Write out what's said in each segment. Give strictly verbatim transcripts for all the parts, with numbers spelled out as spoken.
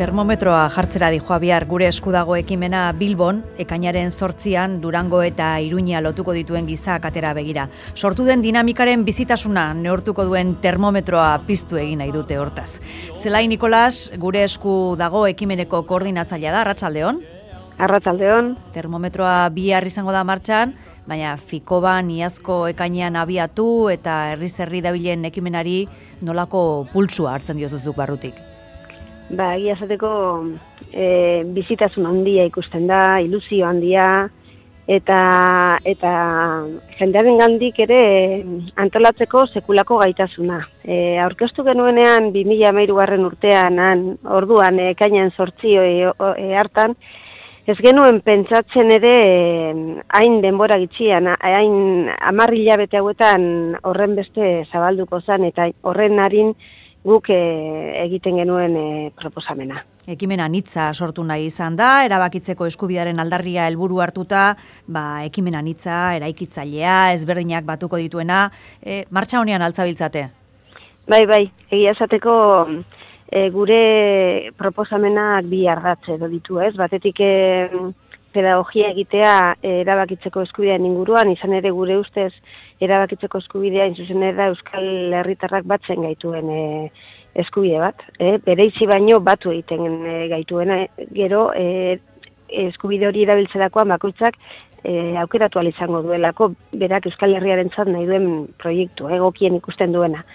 Termometroa jartzera dijoa bihar gure esku dago ekimena Bilbon, ekainaren zortzian Durango eta Iruña lotuko dituen giza katera begira. Sortu den dinamikaren bizitasuna neurtuko duen termometroa piztu egin nahi dute hortaz. Zelai Nikolas, gure esku dago ekimeneko koordinatzailea da, arratsaldeon. Arratsaldeon. Termometroa bihar izango da martxan, baina Fikoban iazko ekainean abiatu eta herriz herri dabilen ekimenari nolako pultsua hartzen diozuzuk barrutik? Ba, egia esateko e, bizitasun handia ikusten da, ilusio handia, eta eta jendearen gandik ere antolatzeko sekulako gaitasuna. E, aurkeztu genuenean bi mila hamairugarren urtean, han, orduan ekainean zortzi e, e, hartan, ez genuen pentsatzen ere hain denbora gitxian, hain hamar hilabete hauetan horren beste zabalduko zen, eta horren harin guk e, egiten genuen e, proposamena. Ekimena anitza sortu nahi izan da, erabakitzeko eskubidearen aldarria helburu hartuta, ba, ekimena anitza, eraikitzailea, ezberdinak batuko dituena, e, martxa honean altzabiltzate? Bai, bai, egia esateko e, gure proposamenak bi ardatz edo ditu, ez? Batetik e, pedagogia egitea e, erabakitzeko eskubidean inguruan, izan ere gure ustez erabakitzeko eskubidea inzuzen da Euskal Herritarrak batzen gaituen e, eskubide bat. E, bereizi baino batu egiten e, gaituena, gero e, eskubide hori erabiltzerakoan bakoitzak e, aukeratu ahal izango duelako, berak Euskal Herriarentzat nahi duen proiektu, egokien ikusten duena.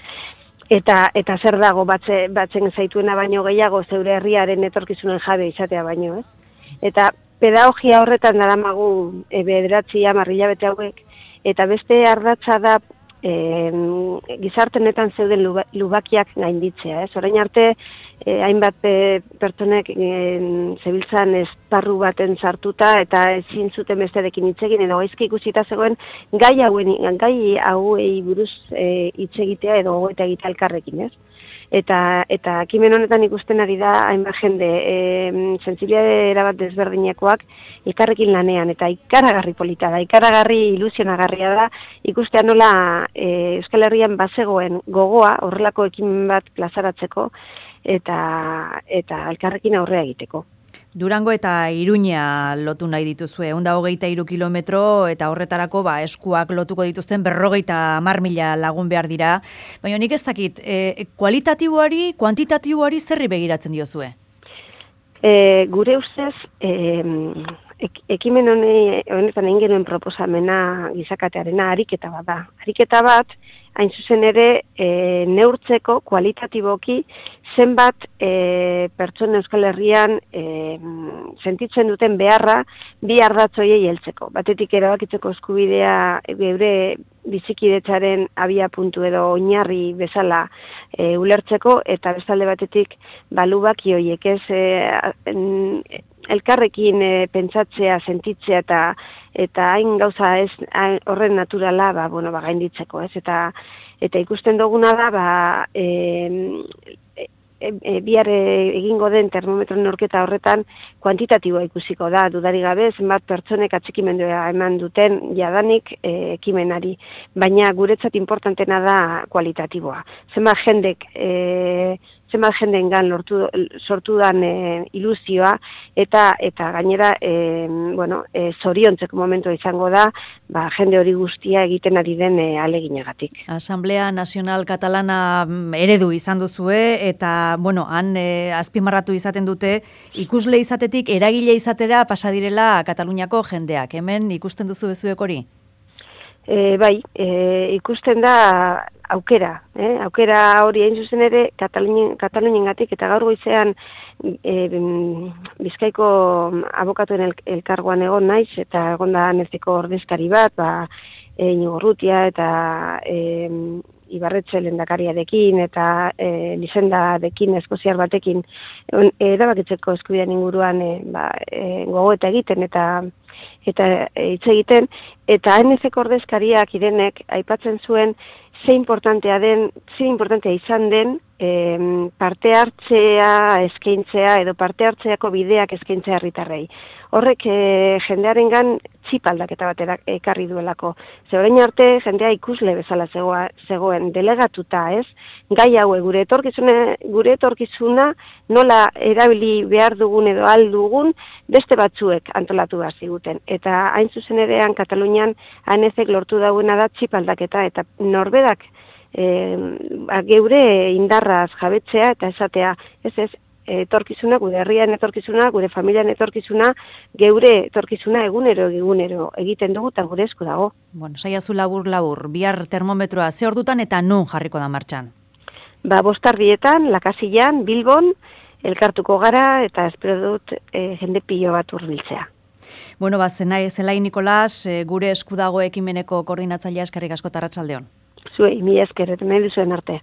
Eta, eta zer dago batze, batzen zaituena baino gehiago zeure herriaren etorkizunen jabe izatea baino, ez? Eta pedagogia horretan daramagu e, bederatzi hamar hilabete hauek, eta beste ardatza da e, gizartenetan zeuden lubakiak gainditzea. Ez? Orain arte, e, hainbat e, pertsonek e, zebiltzan esparru baten sartuta eta ezin zuten besterekin hitz egin edo gaizki ikusita zegoen gai hauen gai hauei buruz e, hitz egitea edo gogoeta egitea elkarrekin, ez? Eta eta ekimen honetan ikusten ari da hainbat jende e, sentsibilitate erabat desberdinekoak elkarrekin lanean, eta ikaragarri polita da, ikaragarri ilusionagarria da ikustea nola e, Euskal Herrian bazegoen gogoa horrelako ekimen bat plazaratzeko eta eta elkarrekin aurrea egiteko. Durango eta Iruña lotu nahi dituzue, ehun eta hogeita hiru kilometro, eta horretarako ba, eskuak lotuko dituzten berrogeita hamar mila lagun behar dira. Baina nik ez dakit, e, kualitatiboari, kuantitatiboari zerri begiratzen diozue? E, gure ustez, e, ek, ekimen hone, honetan egin genuen proposamena gizakatearena ariketa bat da. Ariketa bat, hain zuzen ere, e, neurtzeko kualitatiboki zenbat e, pertsona Euskal Herrian e, sentitzen duten beharra bi ardatzoiei heltzeko. Batetik erabakitzeko eskubidea geure bizikidetzaren abia puntu edo oinarri bezala e, ulertzeko, eta bestalde batetik balubaki horiek ez e, en, elkarrekin e, pentsatzea, sentitzea eta eta hain gauza ez hain, horren naturala ba, bueno, ba, gainditzeko, ez? Eta, eta ikusten duguna da ba, e, e, e, bihar egingo den termometro neurketa horretan kuantitatiboa ikusiko da, dudari gabe, zenbat pertsonek atxikimendua eman duten jadanik e, ekimenari, baina guretzat importantena da kualitatiboa. Zenbat jendek e, zenbat jendeengan lortu sortu dan e, ilusioa eta eta gainera e, bueno, e, zoriontzeko momentua izango da, ba, jende hori guztia egiten ari den e, aleginagatik. Asamblea Nazional Katalana eredu izan duzue eta bueno, han e, azpimarratu izaten dute ikusle izatetik eragile izatera pasa direla Kataluniako jendeak. Hemen ikusten duzu bezuek hori? E, bai, e, ikusten da aukera, eh? aukera hori hain zuzen ere Kataluniengatik, eta gaur goizean e, Bizkaiko abokatuen el, elkargoan egon naiz, eta egon da nezeko ordezkari bat, ba, e, Inigo Urrutia eta e, Ibarretxe lehendakariarekin eta e, Lizendarekin, eskoziar batekin erabakitzeko eskubidean inguruan e, ba, e, gogoeta egiten eta eta hitz egiten, eta N F ko ordezkariak Irenek aipatzen zuen ze importantea den, ze importantea izan den e, parte hartzea eskaintzea edo parte hartzeako bideak eskaintzea herritarrei. Horrek e, jendearengan txip aldaketa batera ekarri duelako. Ze orain arte jendea ikusle bezala zegoa, zegoen delegatuta, ez? Gai haue gure etorkizuna, gure etorkizuna nola erabili behar dugun edo ahal dugun beste batzuek antolatu behar ziguten. Eta hain zuzen erean Katalunian A N Zek lortu dauena da txip aldaketa eta norberak e, geure indarraz jabetzea eta esatea, ez ez, etorkizuna, gure herrian etorkizuna, gure familian etorkizuna, geure etorkizuna egunero egunero egiten dugu eta gure esku dago. Bueno, saiazu labur labur, bihar termometroa ze ordutan eta nun jarriko da martxan? Ba, bostardietan, Lakasillan, Bilbon, elkartuko gara eta espero dut e, jende pilo bat hurbiltzea. Bueno, ba, zenai, Zelai Nikolas, e, gure esku dago ekimeneko koordinatzailea eskerrik asko eta arratsaldeon. Zuei, mi esker, eta nahi duzuen arte.